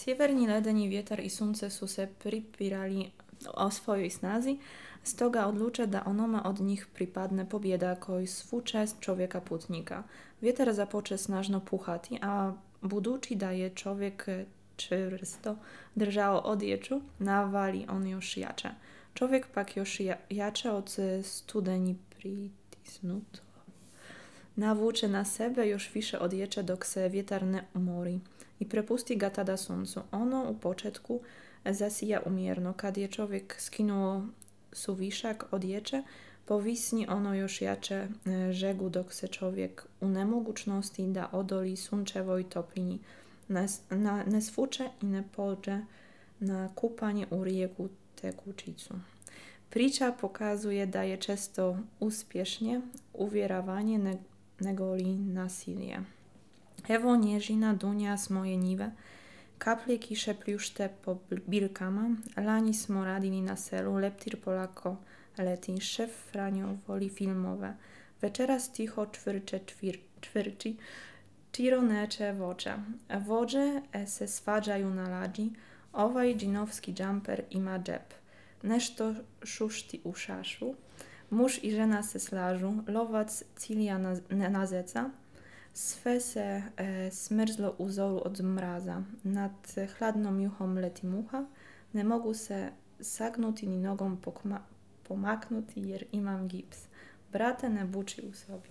Sjeverni ledeni vjetar i sunce su se pripirali o svojoj snazi, stoga odluče da onome od njih pripadne pobjeda koji svu čest čovjeka putnika. Vjetar započe snažno puhati, a budući da je čovjek čvrsto držao odjeću, navali on još jače. Čovjek pak još jače od studeni pritisnut navuče na sebe još više odjeće dok se vjetar ne umori i prepusti ga tada suncu. Ono u početku zasija umjerno. Kad je čovjek skinuo suvišak odjeće, povisni ono još jače žegu dok se čovjek u nemogućnosti da odoli sunčevoj toplini ne svuče i ne pođe na kupanje u rijeku tekućicu. Priča pokazuje da je često uspješnije uvjeravanje nego li nasilje. Evo nježina dunja s moje njive, kaplje kiše pljušte po biljkama, lani smo radili na selu, leptir polako leti, šef Franjo voli filmove, večeras tiho čvrči, Čiro neče vođa. Vođe se svađaju na lađi, ovaj džinovski džamper ima džep. Nešto šušti u šašu, muž i žena se slažu, lovac cilja na zeca, sve se smrzlo u zoru od mraza. Nad hladnom juhom leti muha, ne mogu se sagnuti ni nogom pomaknuti jer imam gips. Brate, ne buči u sobi.